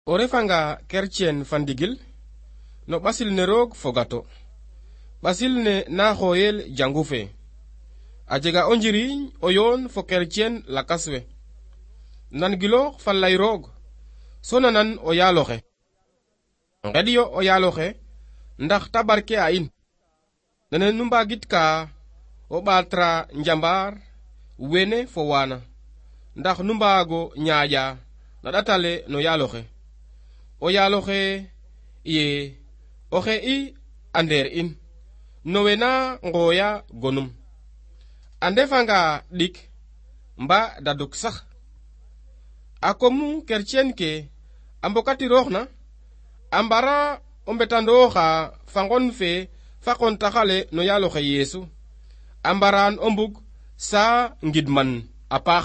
O refanga kercien fa ndigil no ɓasil ne roog fogato ɓasil ne na xooyel jangu fe a jega o njiriñ o yoon fo kercien lakas we nan giloox fa lay roog so nanan o yaaloxe ngeɗyo o yaaloxe ndax ta barke a in nene nu mbagit ka o ɓaatra njambar wene fo wana ndax nu mbaago ñaaƴa na ɗatale no yaaloxe o yaaloxe ye oxe i ander in nowe na ngooya gonum a ndefanga ɗik mba daduk sax a komu kercien ke a mbokatiroox na a mbara o mbetandooxa fa ngon fe fa qontaxale no yaaloxe Yeesu a mbaraan o mbug saa ngidman a paax.